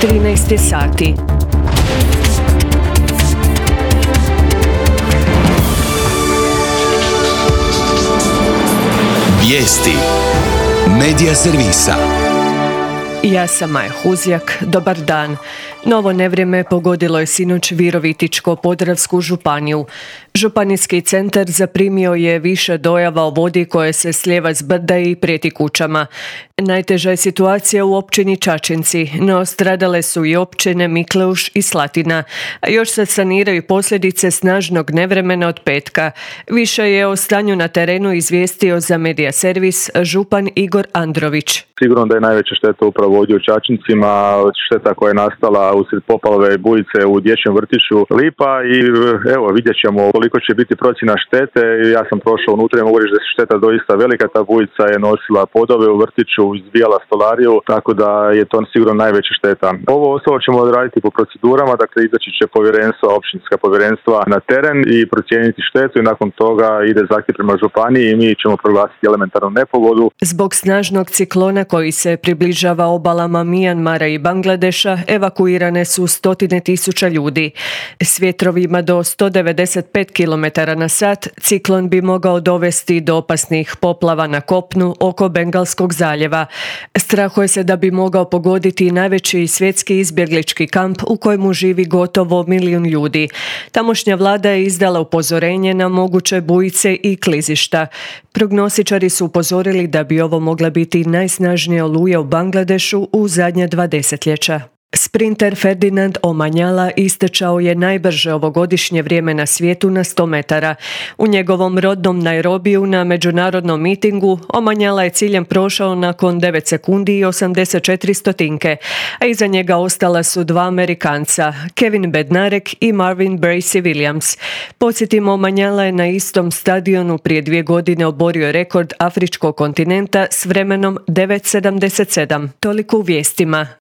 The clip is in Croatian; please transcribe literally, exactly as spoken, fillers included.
trinaest je sati. Vijesti Medija servisa. Ja sam Maja Huzjak, dobar dan. Novo nevrijeme pogodilo je sinoć Virovitičko-podravsku županiju. Županijski centar zaprimio je više dojava o vodi koje se slijeva s brda i prijeti kućama. Najteža je situacija u općini Čačinci, no stradale su i općine Mikleuš i Slatina, a još se saniraju posljedice snažnog nevremena od petka. Više je o stanju na terenu izvijestio za Medija servis župan Igor Andrović. Sigurno da je najveća šteta upravo ovdje u Čačincima, šteta koja je nastala usred poplave i bujice u dječjem vrtiću Lipa i evo vidjet ćemo koliko će biti procjena štete. Ja sam prošao unutra i mogu reći da je šteta doista velika, ta bujica je nosila podove u vrtiću, izbijala stolariju, tako da je to sigurno najveća šteta. Ovo ostalo ćemo odraditi po procedurama, dakle izaći će povjerenstva, općinska povjerenstva na teren i procijeniti štetu i nakon toga ide zahtjev prema županiji i mi ćemo proglasiti elementarnu nepogodu. Zbog snažnog ciklona koji se približava obalama Mijanmara i Bangladeša, evakuirane su stotine tisuća ljudi. S vjetrovima do sto devedeset pet kilometara na sat ciklon bi mogao dovesti do opasnih poplava na kopnu oko Bengalskog zaljeva. Strahuje se da bi mogao pogoditi najveći svjetski izbjeglički kamp u kojemu živi gotovo milijun ljudi. Tamošnja vlada je izdala upozorenje na moguće bujice i klizišta. Prognostičari su upozorili da bi ovo mogla biti najsnažnija oluja u Bangladešu u zadnja dva desetljeća. Sprinter Ferdinand Omanyala istečao je najbrže ovogodišnje vrijeme na svijetu na sto metara. U njegovom rodnom Nairobiju na međunarodnom mitingu Omanyala je ciljem prošao nakon devet sekundi i osamdeset četiri stotinke, a iza njega ostala su dva Amerikanca, Kevin Bednarek i Marvin Bracy Williams. Podsjetimo, Omanyala je na istom stadionu prije dvije godine oborio rekord afričkog kontinenta s vremenom devet sedamdeset sedam. Toliko u vijestima.